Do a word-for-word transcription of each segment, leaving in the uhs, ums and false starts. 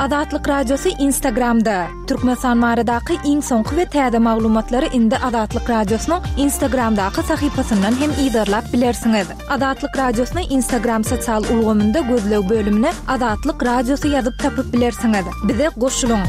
Azatlyk Radiosy Instagramda. Türkmenistan baradaky iň soňky we täze maglumatlary indi Azatlyk Radiosynyň Instagramdaky sahypasyndan hem yzarlap bilersiňiz. Azatlyk Radiosyny Instagram sosial ulgamynda gözleg bölümine Azatlyk Radiosy ýazyp tapyp bilersiňiz. Bize goşulyň.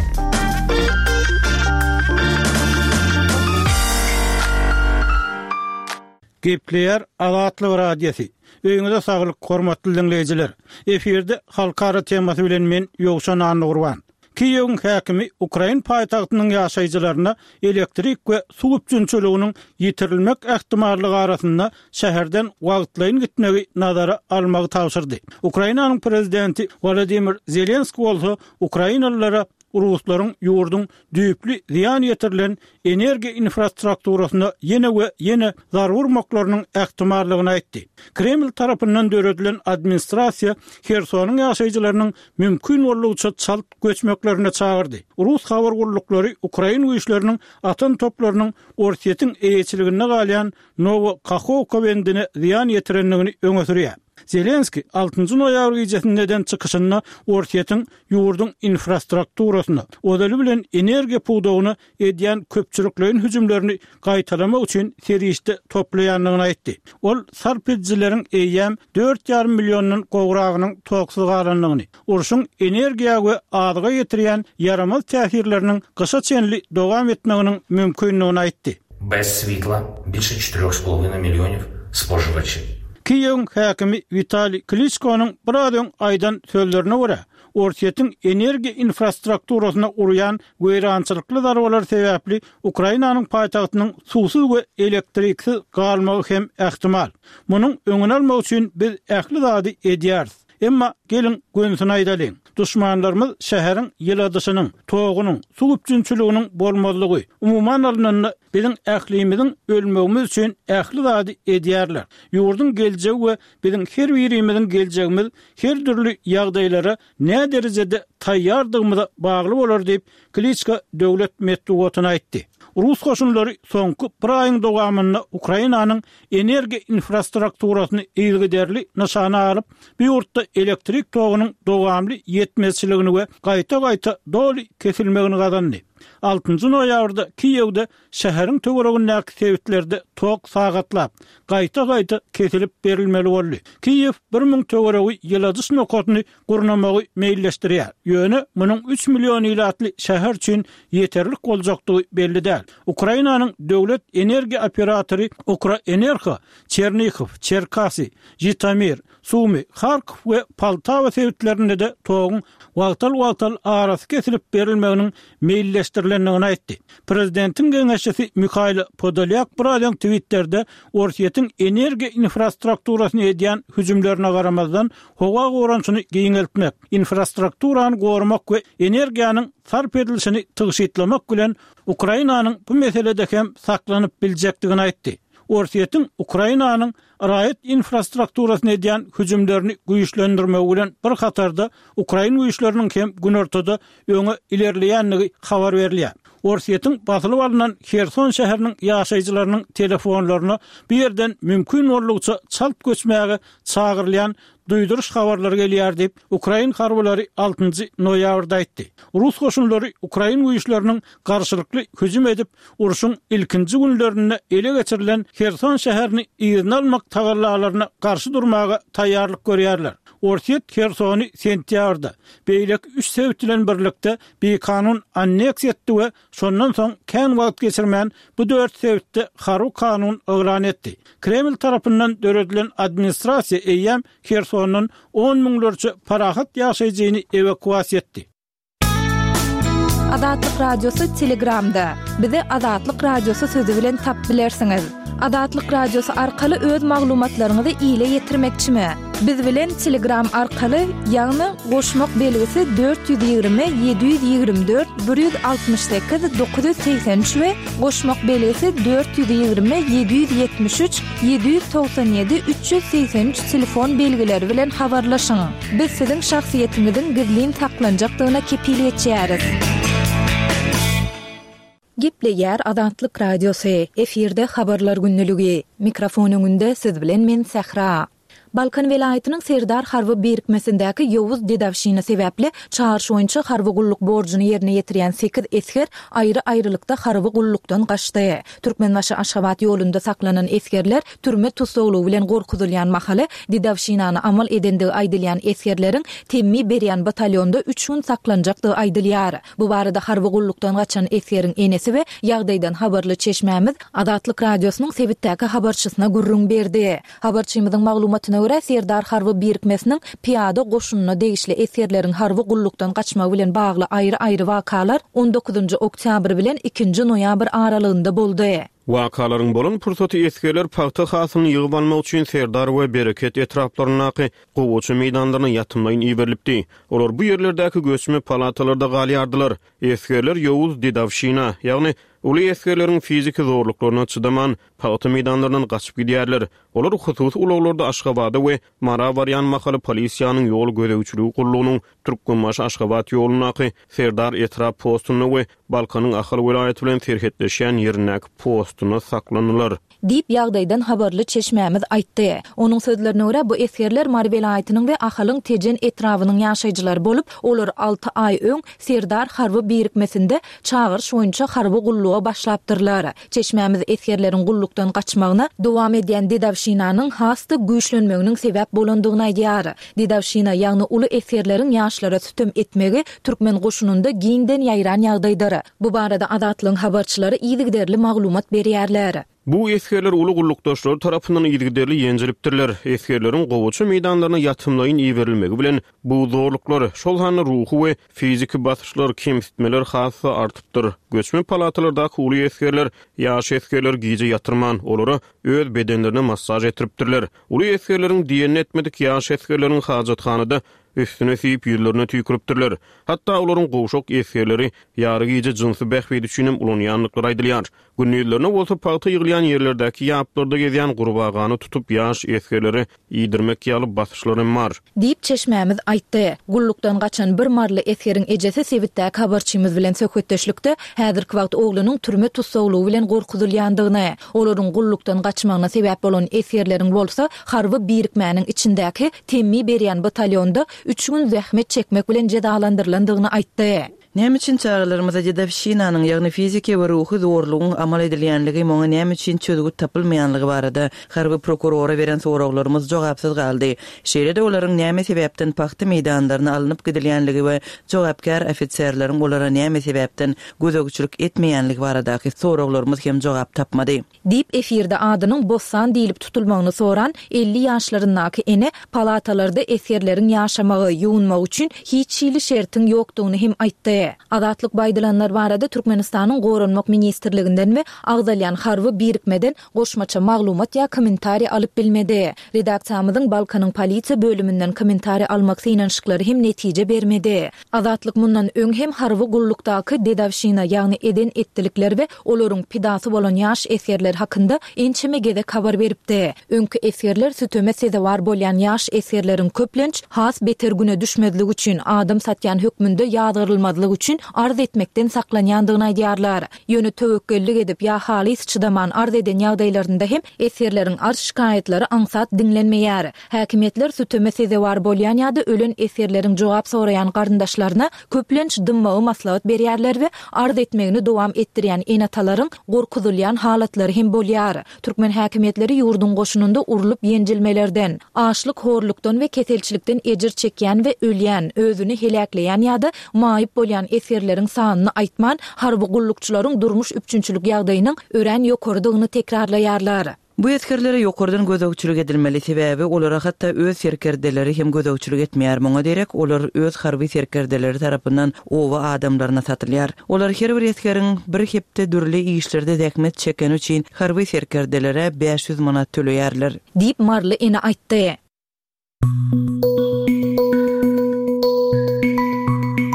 Gepleýär Azatlyk Radiosy. Öýüňize saglyk, hormatly diňleýjiler. Efirde halkara temasy bilen men Ýowşan Annagurban. Kiýewiň häkimi ukrain paýtagtynyň ýaşaýjylaryna elektrik we suw üpjünçiliginiň ýitirilmek ähtimallygy arasynda şäherden wagtlaýyn gitmegi nazara almagy tabşyrdy. Ukrainanyň prezidenti Wolodymyr Zelenskiý bolsa ukrainalylara ruslaryň ýurduň düýpli zyýan ýetirilen energiýa infrastrukturasyna ýene we ýene zarba urmaklarynyň ähtimallygyny aýtdy. Kreml tarapyndan döredilen administrasiýa Hersonyň ýaşaýjylarynyň mümkin boldugyça çalt göçmeklerine çagyrdy. Rus habar gulluklary ukrain güýçleriniň atan toplarynyň Orsýetiň eýeçiliginde galýan Nowo Kahowka bendine zyýan ýetirendigini öňe sürýär. Zelenskiý altynjy noýabr gijesinde eden çykyşynda Orsýetiň ýurduň infrastrukturasyna, ozaly bilen energiýa pudagyna edýän köpçülikleýin hüjümlerini gaýtalamak üçin serişde toplaýandygyny aýtdy. Ol sarp edijileriň eýýäm dört ýarym milliondan gowragynyň toksuz galandygyny, urşuň energiýa we azyga ýetirýän ýaramaz täsirleriniň gyşa çenli dowam etmeginiň mümkindigini aýtdy. Bez switla bilşe çetyrýoh z polowina millionýow spožywaçi. Kiýewiň häkimi Witaliý Kliçkonyň biraz öň aýdan sözlerine görä, Orsýetiň energiýa infrastrukturasyna urýan weýrançylykly zarbalar sebäpli Ukrainanyň paýtagtynyň suwsuz we elektriksiz galmagy hem ähtimal. Munuň öňüni almak üçin biz ähli zady edýäris. Emma geliň gönsüni aýdalyň. Duşmanlarymyz şäheriň ýyladyşynyň, togunyň, suw üpjünçiliginiň bolmazlygy, umuman alnanda biziň ählimiziň ölmegimiz üçin ähli zady edýärler. Ýurduň geljegi we biziň her birimiziň geljegimiz her dürli ýagdaýlara näderejede taýýardygymyza bagly bolar diýip, Kliçka döwlet metbugatyna aýtdy. Rus goşunlary soňky bir aýyň dowamynda Ukrainanyň energiýa infrastrukturasyny yzygiderli nyşana alyp, bu ýurtda elektrik togunyň dowamly ýetmezçiligini we gaýta-gaýta doly kesilmegini gazandy. Altynjy noýabrda Kiýewde şäheriň töweregindäki sebitlerde tok sagatlap, gaýta-gaýta kesilip berilmeli boldy. Kiýew bir müň töweregi ýyladyş nokadyny gurnamagy meýilleşdirýär. Ýöne munuň üç million ilatly şäher üçin ýeterlik boljakdygy belli däl. Ukrainanyň döwlet energiýa operatory Ukroenergo Çernihow, Çerkasy, Žitomir, Sumy, Harkow we Poltawa sebitlerinde-de toguň wagtal-wagtal arasy kesilip berilmeginiň meýilleşdirilendigini aýtdy. Prezidentiň geňeşçisi Mihailo Podolýak biraz öň Twitterde Orsýetiň energiýa infrastrukturasyna edýän hüjümlerine garamazdan, howa goranyşyny giňeltmek, infrastrukturany goramak we energiýanyň sarp edilişini tygşytlamak bilen Ukrainanyň bu meselede hem saklanyp biljekdigini aýtdy. Orsýetiň Ukrainanyň raýat infrastrukturasyna edýän hüjümlerini güýçlendirmegi bilen bir hatarda ukrain güýçleriniň hem günortada öňe ilerleýändigi habar berilýär. Orsýetiň basylyp alnan Herson şäheriniň ýaşaýjylarynyň telefonlaryna bu ýerden mümkin boldugyça çalt göçmäge çagyrylýan duýduryş habarlary gelýär diýip, ukrain harbylary altynjy noýabrda aýtdy. Rus goşunlary ukrain güýçleriniň garşylykly hüjüm edip, urşuň ilkinji günlerinde ele geçirilen Herson şäherini yzyna almak tagallalaryna garşy durmaga taýýarlyk görýärler. Orsýet Hersony sentýabrda, beýleki üç sebit bilen birlikde bikanun anneksiýa etdi we şondan soň kän wagt geçirmän bu dört sebitde harby kanun yglan etdi. Kreml tarapyndan döredilen administrasiýa eýýäm Hersondan on müňlerçe parahat ýaşaýjyny ewakuasiýa etdi. Azatlyk Radiosy Telegramda. Bizi Azatlyk Radiosy sözi bilen tapyp bilersiňiz. Azatlyk Radiosy arkaly öz maglumatlaryňyzy ile ýetirmekçimi? Biz bilen Telegram arkaly, ýagny goşmak belgisi dört ýüz ýigrimi ýedi ýüz ýigrimi dört bir ýüz altmyş sekiz dokuz ýüz segsen üç we goşmak belgisi dört ýüz ýigrimi ýedi ýüz ýetmiş üç ýedi ýüz togsan ýedi üç ýüz segsen üç telefon belgileri bilen habarlaşyň. Biz siziň şahsyýetiňiziň gizlin saklanjakdygyna kepil geçýäris. Gepleýär Azatlyk Radiosy. Efirde habarlar günlüligi. Mikrofon öňünde siz bilen men Sähra. Balkan welaýatynyň Serdar harby birikmesindäki ýowuz dedowşina sebäpli çagyryş boýunça harby gulluk borjuny ýerine ýetirýän sekiz esger aýry-aýrylykda harby gullukdan gaçdy. Türkmenbaşy Aşgabat ýolunda saklanan esgerler türme tussaglygy bilen gorkuzylýan mahaly dedowşinany amal edendigi aýdylýan esgerleriň temmi berýän batalýonda üç gün saklanjakdygy aýdylýar. Bu barada harby gullukdan gaçan esgeriň enesi we ýagdaýdan habarly çeşmämiz Azatlyk Radiosynyň sebitdäki habarçysyna gürrüň berdi. Habarçymyzyň maglumatyna görä, Serdar harby birikmesiniň piýada goşunyna degişli esgerleriň harby gullukdan gaçmagy bilen bagly aýry-aýry wakalar on dokuzynjy oktýabr bilen ikinji noýabr aralygynda boldy. Wakalaryň bolan pursaty esgerler pagta hasylyny ýygyp almak üçin Serdar we Bereket etraplaryndaky gowaça meýdanlaryna ýatymlaýyn iberilipdi. Olar bu ýerlerdäki göçme palatalarda galýardylar. Esgerler ýowuz dedowşina, ýagny uly esgerleriň fiziki zorluklaryna çydaman pagta meýdanlaryndan gaçyp gidýärler. Olar hususy ulaglarda Aşgabada we Mara barýan mahaly polisiýanyň ýol gözegçiligi gullugynyň Türkmenbaşy Aşgabat ýolundaky Serdar etrap postunda we Balkanyň Ahal welaýaty bilen serhetleşýän ýerindäki postunda saklandylar. Diýip ýagdaýdan habarly çeşmämiz aýtdy. Onuň sözlerine görä, bu esgerler Mary welaýatynyň we Ahalyň Tejen etrabynyň ýaşaýjylary bolup, olar alty aý öň Serdar harby birikmesinde çagyryş boýunça harby gulluga başlapdyrlar. Çeşmämiz esgerleriň gullukdan gaçmagyna dowam edýän dedowşinanyň has-da güýçlenmeginiň sebäp bolandygyny aýdýar. Dedowşina, ýagny uly esgerleriň ýaşlara sütem etmegi türkmen goşunynda giňden ýaýran ýagdaýdyr. Bu barada Azatlygyň habarçylary yzygiderli maglumat berýärler. Bu esgerler uly gullukdaşlary tarapyndan yzygiderli ýenjilipdirler. Esgerleriň gowaça meýdanlaryna ýatymlaýyn iberilmegi bilen bu zorluklar, şol sanda ruhy we fiziki basyşlar, kemsitmeler has-da artypdyr. Göçme palatalardaky uly esgerler ýaş esgerler gije ýatyrman, olara öz bedenlerine massaž etdiripdirler. Uly esgerleriň diýenini etmedik ýaş esgerleriň hajathanada üstüne siýip ýüzlerine tüýküripdirler. Hatda olaryň gowşak esgerleri ýary gije jynsy bähbit üçin hem ulanýandyklary aýdylýar. Gündizlerine bolsa pagta ýygylýan ýerlerdäki ýaplarda gezýän gurbagany tutup ýaş esgerleri iýdirmek ýaly basyşlar hem bar. Diýip çeşmämiz aýtdy. Gullukdan gaçan bir marly esgeriň ejesi sebitdäki habarçymyz bilen söhbetdeşlikde häzirki wagt oglunyň türme tussaglygy bilen gorkuzylýandygyny, olaryň gullukdan gaçmagyna sebäp bolan esgerleriň bolsa harby birikmäniň içindäki temmi berýän batalýonda üç gün zähmet çekmek bilen jezalandyrylandygyny aýtdy. Näme üçin çagalarymyza dedowşinanyň, ýagny fiziki we ruhy zorlugyň amal edilýänligi, muňa näme üçin çözgüt tapylmaýanlygy barada harby prokurora beren soraglarymyz jogapsyz galdy. Şeýle-de olaryň näme sebäpden pagta meýdanlaryna alnyp gidilýänligi we jogapkär ofiserleriň olara näme sebäpden gözegçilik etmeýänligi baradaky soraglarymyz hem jogap tapmady. Diýip efirde adynyň Bossan diýilip tutulmagyny soran elli ýaşlaryndaky ene palatalarda esgerleriň ýaşamagy, ýuwunmagy üçin hiç hili şertiň ýokdugyny hem aýtdy. Azatlyk baýdylanlar barada Türkmenistanyň Goranmak Ministrliginden we agzalýan harby birikmeden goşmaça maglumat ýa kommentariý alyp bilmedi. Redaksiýamyzyň Balkanyň polisiýa bölüminden kommentariý almak synanyşyklary hem netije bermedi. Azatlyk mundan öň hem harby gullukdaky dedowşina, ýagny eden etdilikler we olaryň pidasy bolan ýaş esgerler hakynda ençeme gezek habar beripdi. Öňki esgerler süteme sezewar bolýan ýaş esgerleriň köplenç has beter güne düşmezlik üçin adam satýan hökmünde ýazgyrylmazlyk üçin arz etmekden saklanýandygyny aýdýarlar. Ýöne töwekgellik edip ýa halys çydaman arz eden ýagdaýlarynda hem esgerleriň arz şikaýatlary aňsat diňlenmeýär. Häkimiýetler süteme sezewar bolýan ýa-da ölen esgerleriň jogap soraýan garyndaşlaryna köplenç dymmagy maslahat berýärler we arz etmegini dowam etdirýän ene-atalaryň gorkuzylýan halatlary hem bolýar. Türkmen häkimiýetleri ýurduň goşunynda urlup ýenjilmelerden, açlyk horlukdan we keselçilikden ejir çekýän we ölýän, özüni heläkleýän ýa-da maýyp bolýan esgerleriň sanyny aýtman, harby gullukçylaryň durmuş üpjünçilik ýagdaýynyň örän ýokarydygyny tekrarlaýarlar. Bu esgerlere ýokardan gözegçilik edilmeli, sebäbi olara hatda öz serkerdeleri hem gözegçilik etmeýär. Muňa derek olar öz harby serkerdeleri tarapyndan oba adamlaryna satylýar. Olar her bir esgeriň bir hepde dürli işlerde zähmet çekeni üçin harby serkerdelere bäş ýüz manat töleýärler. Diýip Marly ene aýtdy.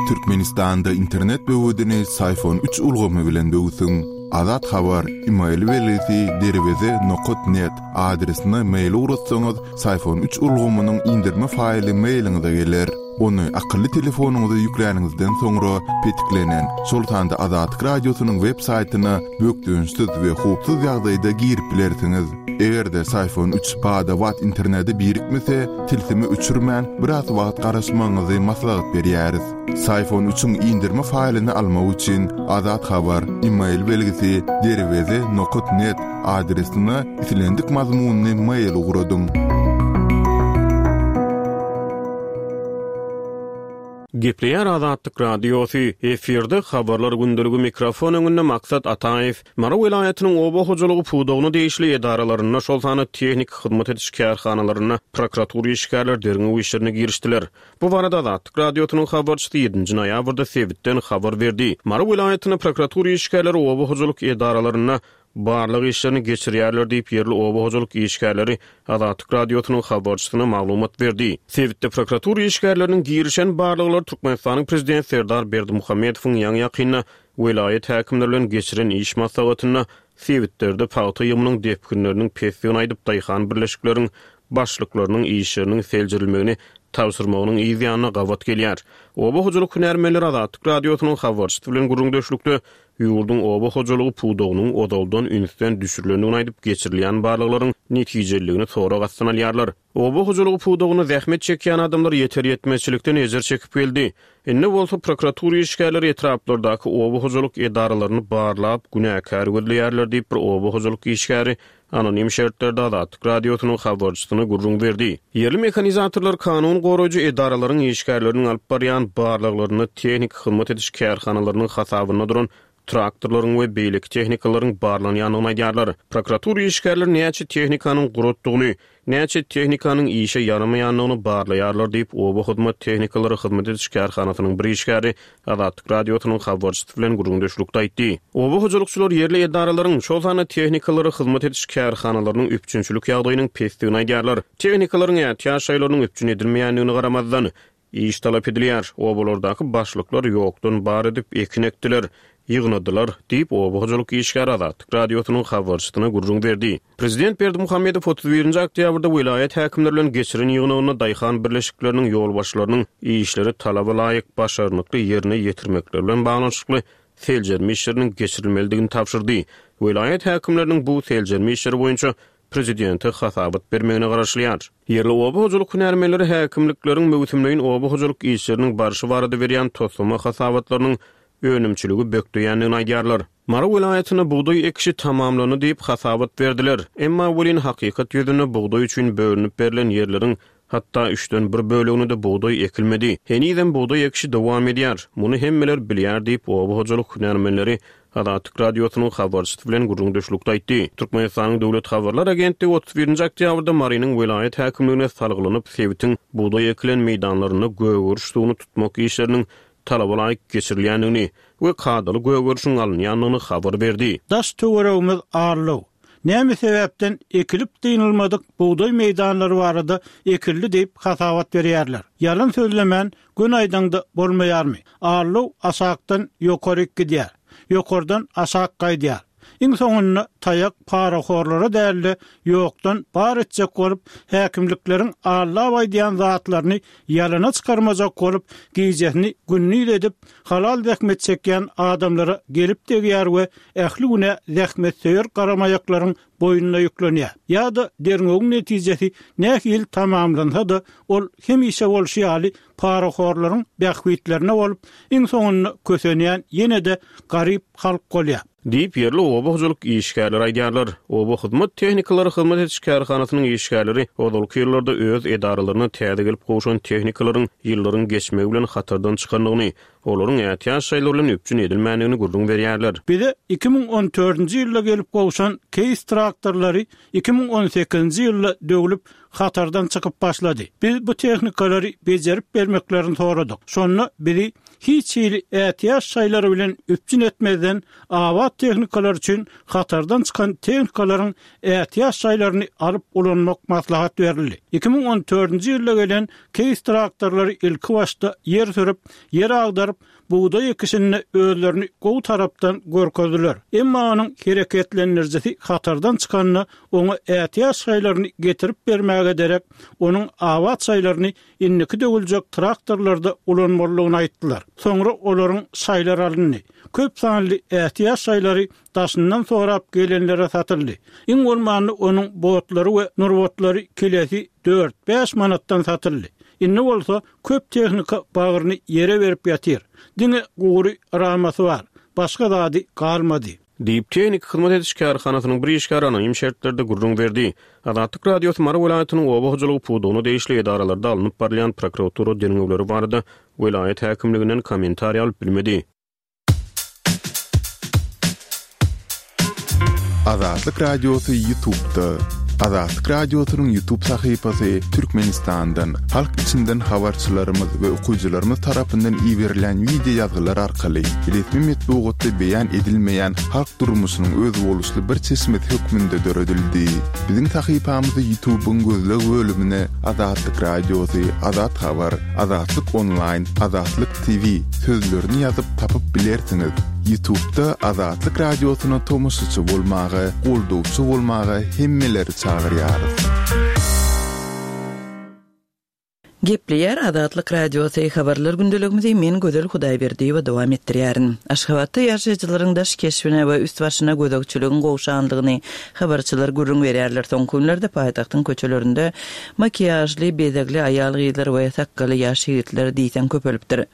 Türkmenistanda internet böwedini Syfon üç ulgamy bilen böwsüň. Azat Habar, e-mail belgisi derweze nokat net adresine mail ugratsaňyz, Syfon üç ulgamynyň indirme faýly mailiňize geler. Ony akylly telefonyňyza ýükläniňizden soňra petiklenen, şol sanda Azatlyk Radiosynyň web saýtyna bökdençsiz we howpsuz ýagdaýda girip bilersiňiz. Eger-de Syfon üç bada-bat internete birikmese, tilsimi öçürmän biraz wagt garaşmagyňyzy maslahat berýäris. Syfon üçiň indirme faýlyny almak üçin Azat Habar e-mail belgisi derweze nokta net adresine islendik mazmunyny mail ugradyň. Gepleýär Azatlyk Radiosy, efirde habarlar gündeligi mikrofon öňünde Maksat Ataýew. Mary welaýatynyň oba hojalygy pudagyna degişli edaralarynda, şol sanda tehnik hyzmat ediş kärhanalarynda prokuratura işgärleri derňew işlerine girişdiler. Bu barada Azatlyk Radiosynyň habarçysy ýedinji noýabrda sebitden habar berdi. Mary welaýatynyň prokuratura işgärleri oba hojalyk edaralarynda barlyk işlerini geçirýärler diýip ýerli oba hojalyk işgärleri Azatlyk Radiosynyň habarçysyna maglumat berdi. Sebitde prokuratura işgärleriniň girişen barlyklary Türkmenistanyň Prezident Serdar Berdimuhamedowyň ýaňy ýakynda welaýat häkimleri bilen geçiren iş maslahatynda sebitlerde pagta ýygymynyň depginleriniň pesdigini aýdyp daýhan birleşikleriň başlyklarynyň işleriniň seljerilmegini tabşyrmagynyň yz ýanyna gabat gelýär. Oba hojalyk hünärmenleri Azatlyk Radiosynyň habarçysy bilen gürrüňdeşlikde ýurduň oba hojalygy pudagynyň ozaldan ünsden düşürilendigini aýdyp geçirilýän barlyklaryň netijeliligini sorag astyna alýarlar. Oba hojalygy pudagyna zähmet çekýän adamlar ýeter ýetmezçilikden ejir çekip geldi. Indi bolsa prokuratura işgärleri etraplardaky oba hojalyk edaralaryny barlap günäkär gözleýärler diýip bir oba hojalyk işgäri anonim şertlerde Azatlyk Radiosynyň habarçysyna gürrüň berdi. Ýerli mehanizatorlar kanun goraýjy edaralaryň işgärleriniň alyp barýan barlyklaryny tehnik hyzmat ediş kärhanalarynyň hasabynda duran traktorlaryň we beýleki tehnikalaryň barlanýandygyny aýdýarlar. Prokuratura işgärleri näçe tehnikanyň guratdygyny, näçe tehnikanyň işe ýaramaýandygyny barlaýarlar diýip oba hyzmat tehnikalary hyzmat ediş kärhanasynyň bir işgäri Azatlyk Radiosynyň habarçysy bilen gürrüňdeşlikde aýtdy. Oba hojalykçylar ýerli edaralaryň, şol sanda tehnikalary hyzmat ediş kärhanalarynyň üpjünçilik ýagdaýynyň pesdigini aýdýarlar. Tehnikalaryň ätiýaç şaýlarynyň üpjün edilmeýändigini garamazdan iş talap edilýär. Obalardaky başlyklar ýokdan bar edip ekin ekdiler, ýygnadylar diýip oba hojalyk işgäri Azatlyk Radiosynyň habarçysyna gürrüň berdi. Prezident Berdimuhamedow otuz birinji oktýabrda welaýat häkimleri bilen geçiren ýygnagynda daýhan birleşikleriniň ýolbaşçylarynyň işleri talaba laýyk başarnykly ýerine ýetirmekleri bilen baglanyşykly seljerme işleriniň geçirilmelidigini tabşyrdy. Welaýat häkimleriniň bu seljerme işleri boýunça prezidente hasabat bermegine garaşylýar. Ýerli oba hojalyk hünärmenleri häkimlikleriň möwsümleýin oba hojalyk işleriniň barşy barada berýän toslama hasabatlarynyň önümçiligi bökdeýändigini aýdýarlar. Mary welaýatynda bugdaý ekişi tamamlandy diýip hasabat berdiler. Emma welin hakykat ýüzünde bugdaý üçin bölünip berlen ýerleriň hatda üçden bir bölegine-de bugdaý ekilmedi. Henizem bugdaý ekişi dowam edýär. Muny hemmeler bilýär diýip oba hojalyk hünärmenleri Azatlyk Radiosynyň habarçysy bilen gürrüňdeşlikde aýtdy. Türkmenistanyň Döwlet Habarlar Agentligi otuz birinji oktýabrda Marynyň welaýat häkimligine salgylanyp sebitiň bugdaý ekilen meýdanlarynda gögeriş suwuny tutmak işleriniň talaba laýyk geçirilýändigini we kadaly gögerişiň alynýandygyny habar berdi. Daş töweregimiz arlaw. Näme sebäpden ekilip dynylmadyk bugdaý meýdanlary barada ekildi diýip hasabat berýärler. Ýalan sözlemän gün aýdaňda bolmaýarmy? Arlaw aşakdan ýokaryk gidýär. Ýokardan aşak gaýdýar. Iň soňunda taýak parahorlara dälde ýokdan bar etjek bolup, häkimlikleriň allap aýdýan zatlaryny ýalana çykarmajak bolup, gijesini gündiz edip, halal zähmet çekýän adamlara gelip degýär we ähli güne zähmet söýer garamaýaklaryň boýnuna ýüklenýär. Ýa-da derňewiň netijesi nähili tamamlansa-da, ol hemişe bolşy ýaly parahorlaryň bähbitlerine bolup, iň soňunda kösenýän ýene-de garyp halk bolýar. Diýip ýerli oba hojalyk işgärleri aýdýarlar. Oba hyzmat tehnikalary hyzmat ediş kärhanasynyň işgärleri ozalky ýyllarda öz edaralaryna täze gelip gowşan tehnikalaryň ýyllaryň geçmegi bilen hatardan çykandygyny, olaryň ätiýaç şaýlary bilen üpjün edilmändigini gürrüň berýärler. Bize iki müň on dördünji ýylda gelip gowşan Case traktorlary iki müň on sekizinji ýylda döwlüp hatardan çykyp başlady. Biz bu tehnikalary bejerip bermeklerini soradyk. Şonda bizi hiç hili ätiýaç şaýlary bilen üpjün etmezden abat tehnikalar üçin hatardan çykan tehnikalaryň ätiýaç şaýlaryny alyp ulanmak maslahat berildi. Iki müň on dördünji ýylda gelen Case traktorlary ilki başda ýer sürüp, ýer agdaryp baryp, bugdaý ekişinde özlerini gowy tarapdan görkezdiler. Emma onuň hereketlendirijisi hatardan çykanda, oňa ätiýaç şaýlaryny getirip bermäge derek, onuň abat şaýlaryny indiki döwüljek traktorlarda ulanmalydygyny aýtdylar. Soňra olaryň şaýlary alyndy. Köp sanly ätiýaç şaýlary daşyndan sorap gelenlere satyldy. Iň bolmanda onuň botlary we nurbatlary kilesi dört-bäş manatdan satyldy. Indi bolsa köp tehnika bagryny ýere berip ýatyr. Diňe gury ramasy bar. Başga zady galmady. Diýip, tehniki hyzmat ediş kärhanasynyň bir işgäri anonim şertlerde gürrüň berdi. Azatlyk Radiosy Mary welaýatynyň oba hojalygy pudagyna degişli edaralarda alnyp barylýan prokuratura derňewleri barada welaýat häkimliginden kommentariý alyp bilmedi. Azatlyk Radiosy YouTube'da. Azatlyk Radiosynyň YouTube sahypasy Türkmenistandan, halk içinden habarçylarymyz we okyjylarymyz tarapyndan iberilen wideo ýazgylar arkaly resmi metbugatda beýan edilmeýän halk durmuşynyň özboluşly bir çeşmesi hökmünde döredildi. Biziň sahypamyzy YouTube'yň gözleg bölümine Azatlyk Radiosy, Azat Habar, Azatlyk Online, Azatlyk T V sözlerini ýazyp tapyp bilersiňiz. YouTube'da Azatlyk Radiosyna tomaşaçy bolmaga, goldawçy bolmaga hemmeleri çagyrýarys. Gepleýär Azatlyk Radiosy habarlar gündeligimizi men Gözel Hudaýberdiýewa dowam etdirýärin. Aşgabatda ýaşaýjylaryň daş keşbine we üst başyna gözegçiligiň gowşanlygyny habarçylar gürrüň berýärler. Soňky günlerde paýtagtyň köçelerinde makiýažly, bezegli aýal gyzlar we sakgaly ýaş ýigitler diýseň köpelipdir.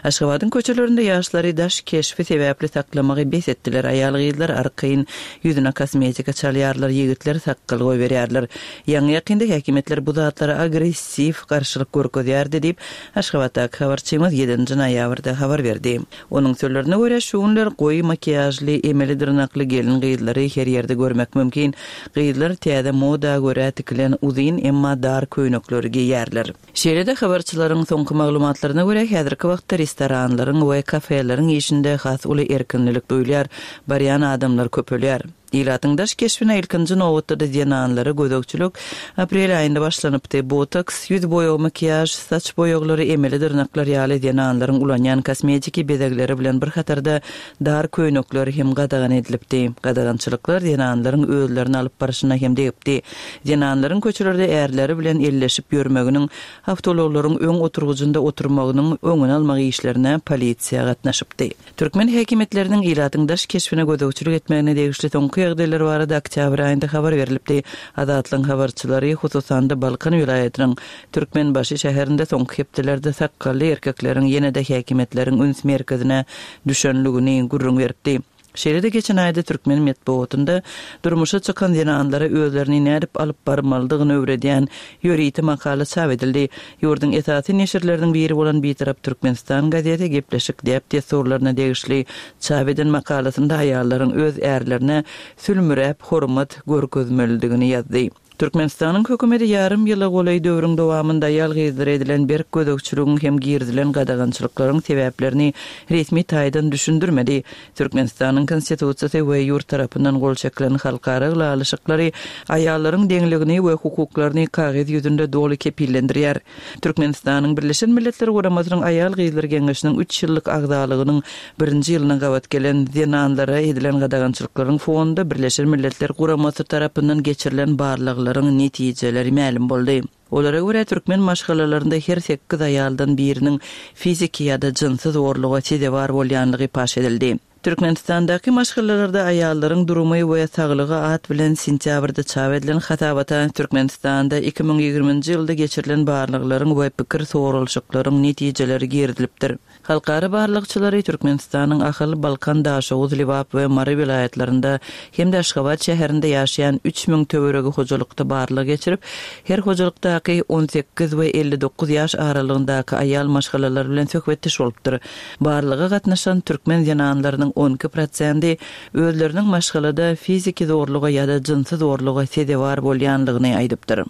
Aşgabadyň köçelerinde ýaşlary daş keşbi sebäpli saklamagy bes etdiler. Aýal gyzlar arkaýyn ýüzüne kosmetika çalýarlar, ýigitler sakgal goýberýärler. Ýaňy ýakynda häkimiýetler bu zatlara agressiw garşylyk görkezýärdi diýip, Aşgabatdaky habarçymyz ýedinji noýabrda habar berdi. Onuň sözlerine görä, şu günler goýy makiýažly, emeli dyrnakly gelin gyzlary her ýerde görmek mümkin. Gyzlar täze moda görä tikilen uzyn, emma dar köýnekleri geýýärler. Şeýle-de habarçylaryň soňky maglumatlaryna görä, häzirki wagtda restoranlaryň we kafeleriň işinde has uly erkinlik duýulýar, barýan adamlar köpelýär. Ilatyň daş keşbine ilkinji nobatda zenanlara gözegçilik aprel aýynda başlanypdy. Botoks, ýüz boýagy, makiýaž, saç boýaglary, emeli dyrnaklar ýaly zenanlaryň ulanýan kosmetiki bezegleri bilen bir hatarda dar köýnekler hem gadagan edilipdi. Gadagançylyklar zenanlaryň özlerini alyp barşyna hem degipdi. Zenanlaryň köçelerde ärleri bilen elleşip ýörmeginiň, awtoulaglaryň öň oturgyjynda oturmagynyň öňüni almak işlerine polisiýa gatnaşypdy. Türkmen häkimiýetleriniň ilatyň daş keşbine gözegçilik etmegine degişli soňky ýagdaýlar barada oktýabr aýynda habar berilipdi. Azatlygyň habarçylary hususan-da Balkan welaýatynyň Türkmenbaşy şäherinde soňky hepdelerde sakgally erkekleriň ýene-de häkimiýetleriň üns merkezine düşenligini gürrüň beripdi. Şeýle-de geçen aýda türkmen metbugatynda durmuşa çykan zenanlara özlerini nädip alyp barmalydygyny öwredýän ýörite makala çap edildi. Ýurduň esasy neşirleriniň biri bolan Bitarap Türkmenistan gazeti gepleşik däp-dessurlaryna degişli çap eden makalasynda aýallaryň öz ärlerine sülmüräp hormat görkezmelidigini ýazdy. Türkmenistanyň hökümeti ýarym ýyla golaý döwrüň dowamynda aýal gyzlara edilen berk gözegçiligiň hem girizilen gadagançylyklaryň sebäplerini resmi taýdan düşündirmedi. Türkmenistanyň konstitusiýasy we ýurt tarapyndan gol çekilen halkara ylalaşyklary aýallaryň deňligini we hukuklaryny kagyz ýüzünde doly kepillendirýär. Türkmenistanyň Birleşen Milletler Guramasynyň Aýal Gyzlar Geňeşiniň üç ýyllyk agzalygynyň birinji ýylyna gabat gelen zenanlara edilen gadagançylyklaryň fonunda Birleşen Milletler Guramasy tarapyndan geçirilen barlaglaryň netijeleri mälim boldy. Olara görä türkmen maşgalalarynda her sekiz aýaldan biriniň fiziki ýa-da jynsy zorluga sezewar bolýanlygy paş edildi. Türkmenistandaky maşgalalarda aýallaryň durumy we saglygy at bilen sentýabrda çap edilen hasabata Türkmenistanda iki müň ýigriminji ýylda geçirilen barlaglaryň we pikir soralyşyklaryň netijeleri girizilipdir. Halkara barlagçylary Türkmenistanyň Ahal, Balkan, Daşoguz, Lebap we Mary welaýatlarynda hem-de Aşgabat şäherinde ýaşaýan üç müň töweregi hojalykda barlag geçirip, her hojalykdaky on sekiz we elli dokuz ýaş aralygyndaky aýal maşgalalar bilen söhbetdeş bolupdyr. Barlaga gatnaşan türkmen zenanlarynyň on iki prosendi özleriniň maşgalada fiziki zorluga ýa-da jynsy zorluga sezewar bolýanlygyny aýdypdyr.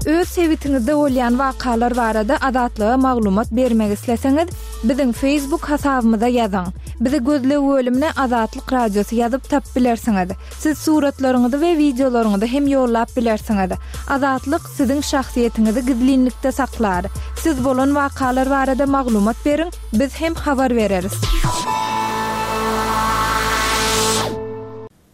Öz sebitiňizde bolýan wakalar barada Azatlyga maglumat bermek isleseňiz, biziň Facebook hasabymyza ýazyň. Bizi gözleg bölümine Azatlyk Radiosy ýazyp tapyp bilersiňiz. Siz suratlaryňyzy we wideolaryňyzy hem ýollap bilersiňiz. Azatlyk siziň şahsyýetiňizi gizlinlikde saklar. Siz bolan wakalar barada maglumat beriň, biz hem habar bereris.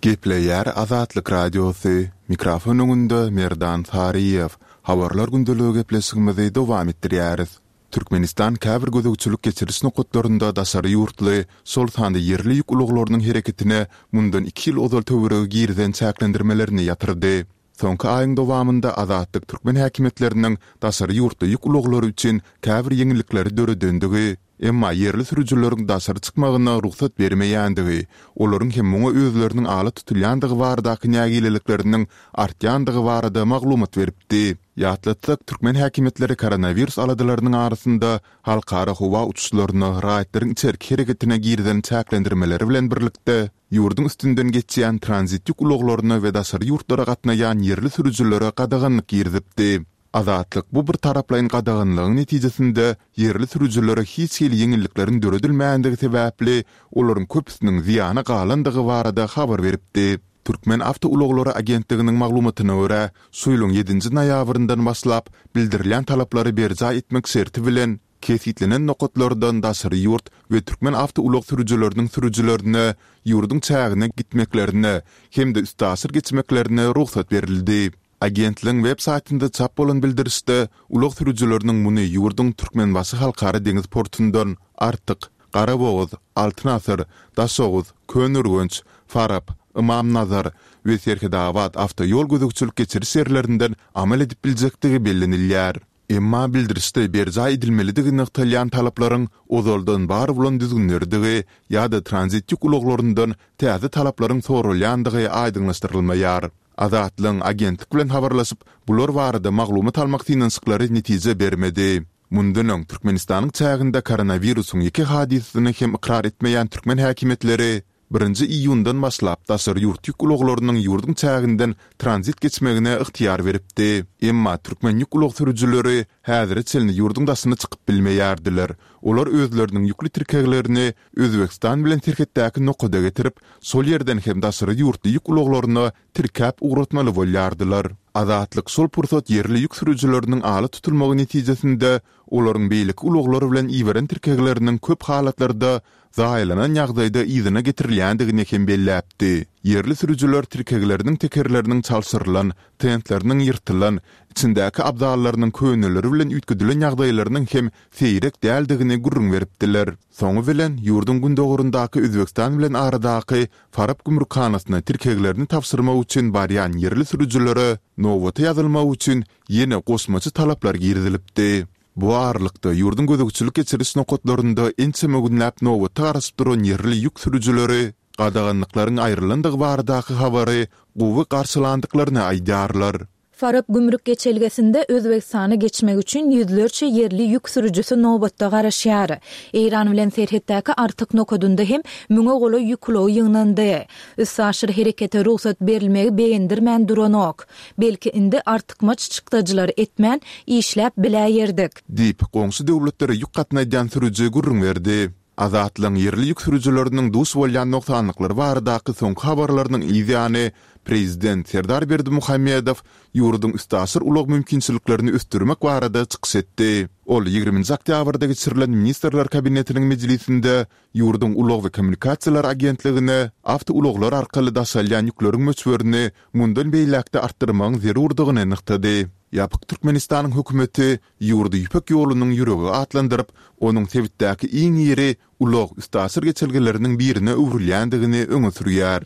Gepleýär Azatlyk Radiosy, mikrofon öňünde Merdan Saryýew. Habarlar gündeligi gepleşigimizi dowam etdirýäris. Türkmenistan käbir gözegçilik geçiriş nokatlarynda daşary ýurtly, şol sanda ýerli ýük ulaglarynyň hereketine mundan iki ýyl ozal töweregi girizen çäklendirmelerini ýatyrdy. Soňky aýyň dowamynda Azatlyk türkmen häkimiýetleriniň daşary ýurtly ýük ulaglary üçin käbir ýeňillikleri döredendigi, emma ýerli sürüjileriň daşary çykmagyna rugsat bermeýändigi, olaryň hem muňa özleriniň ala tutulýandygy baradaky nägilelikleriniň artýandygy barada maglumat beripdi. Ýatlatsak, türkmen häkimiýetleri koronawirus aladalarynyň arasynda halkara howa uçuşlaryna, raýatlaryň içerki hereketine girizen çäklendirmeleri bilen birlikde, ýurduň üstünden geçýän tranzit ýük ulaglaryna we daşary ýurtlara gatnaýan ýerli sürüjilere gadaganlyk girizipdi. Azatlyk bu bir taraplaýyn gadaganlygyň netijesinde ýerli sürüjilere hiç hili ýeňillikleriň döredilmändigi sebäpli olaryň köpüsiniň zyýana galandygy barada habar beripdi. Türkmen awtoulaglary agentliginiň maglumatyna görä, şu ýylyň ýedinji noýabryndan başlap bildirilýän talaplary berjaý etmek şerti bilen kesgitlenen nokatlardan daşary ýurt we türkmen awtoulag sürüjileriniň sürüjilerine ýurduň çägine gitmeklerine hem-de üstaşyr geçmeklerine rugsat berildi. Agentligiň web saýtynda çap bolan bildirişde ulag sürüjileriniň muny ýurduň Türkmenbaşy halkara deňiz portundan Artyk, Garabogaz, Altyn asyr, Daşoguz, Köneürgenç, Farap, Ymamnazar we Serhetabat awtoýol gözegçilik geçiriş ýerlerinden amal edip biljekdigi bellenilýär. Emma bildirişde berjaý edilmelidigi nygtalýan talaplaryň ozaldan bar bolan düzgünlerdigi ýa-da tranzit ýük ulaglaryndan täze talaplaryň soralýandygy aýdyňlaşdyrylmaýar. Azatlygyň agentlik bilen habarlaşyp, bular barada maglumat almak synanyşyklary netije bermedi. Mundan öň Türkmenistanyň çäginde koronawirusyň ýeke hadysasyny hem ykrar etmeýän türkmen häkimiýetleri birinji iýundan başlap daşary ýurt ýük ulaglarynyň ýurduň çäginden tranzit geçmegine ygtyýar beripdi. Emma türkmen ýük ulag sürüjileri häzire çenli ýurduň daşyna çykyp bilmeýärdiler. Olar özleriniň ýükli tirkeglerini Özbegistan bilen serhetdäki nokada getirip, şol ýerden hem daşary ýurtly ýük ulaglaryna tirkäp ugratmaly bolýardylar. Azatlyk şol pursat ýerli ýük sürüjileriniň ala tutulmagy netijesinde olaryň beýleki ulaglar bilen iberen tirkegleriniň köp halatlarda zaýalanan ýagdaýda yzyna getirilýändigini hem belläpdi. Ýerli sürüjiler tirkegleriniň tekerleriniň çalşyrylan, tentleriniň ýyrtylan, içindäki abzallarynyň köneleri bilen üýtgedilen ýagdaýlarynyň hem seýrek däldigini gürrüň beripdiler. Soňy bilen, ýurduň gündogaryndaky Özbegistan bilen aradaky Farap gümrükhanasyna tirkeglerini tabşyrmak üçin barýan ýerli sürüjilere nobata ýazylmak üçin ýene goşmaça talaplar girizilipdi. Bu aralykda, ýurduň gözegçilik geçiriş nokatlarynda ençeme günläp nobata garaşyp duran ýerli ýük sürüjileri gadaganlyklaryň aýrylandygy baradaky habary gowy garşylandyklaryny aýdýarlar. Farap gümrük geçelgesinde Özbegistana geçmek üçin ýüzlerçe ýerli ýük sürüjisi nobatda garaşýar. Eýran bilen serhetdäki Artyk nokadynda hem müňe golaý ýük ulagy ýygnandy. Üstaşyr herekete rugsat berilmegi begendirmän duranok. Belki indi artykmaç çykdajylar etmän işläp biläýerdik. Diýip, goňşy döwletlere ýük gatnadýan sürüji gürrüň berdi. Azatlygyň ýerli ýük sürüjileriniň duş bolýan nogsanlyklary baradaky soňky habarlarynyň yzýany, prezident Serdar Berdimuhamedow ýurduň üstaşyr ulag mümkinçiliklerini ösdürmek barada çykyş etdi. Ol ýigriminji oktýabrda geçirilen Ministrler Kabinetiniň mejlisinde ýurduň Ulag we kommunikasiýalar agentligine awtoulaglar arkaly daşalýan ýükleriň möçberini mundan beýläk-de artdyrmagyň zerurdygyny nygtady. Ýapyk Türkmenistanyň hökümeti ýurdy Ýüpek ýolunyň ýüregi atlandyryp, onuň sebitdäki iň iri ulag-üstaşyr geçelgeleriniň birine öwrülýändigini öňe sürýär.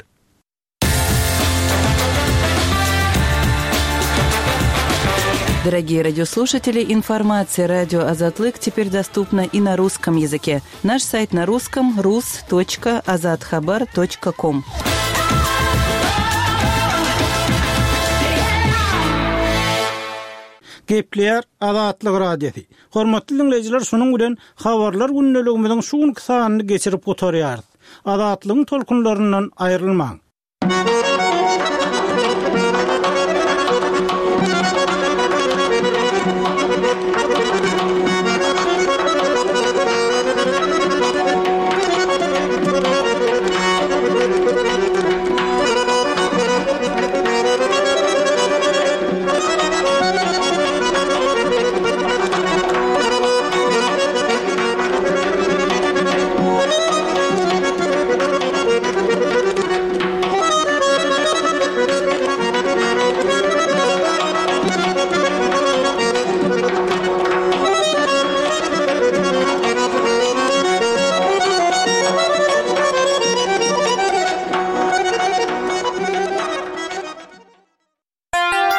Дорогие радиослушатели, информация радио Азатлык теперь доступна и на русском языке. Наш сайт на русском rus.azathabar.com. Gepleýär Azatlyk Radiosy. Hormatly diňleýjiler, şunuň bilen habarlar gündeligimiziň şu günki sanyny geçirip gutarýarys. Azatlygyň tolkunlaryndan aýrylmaň.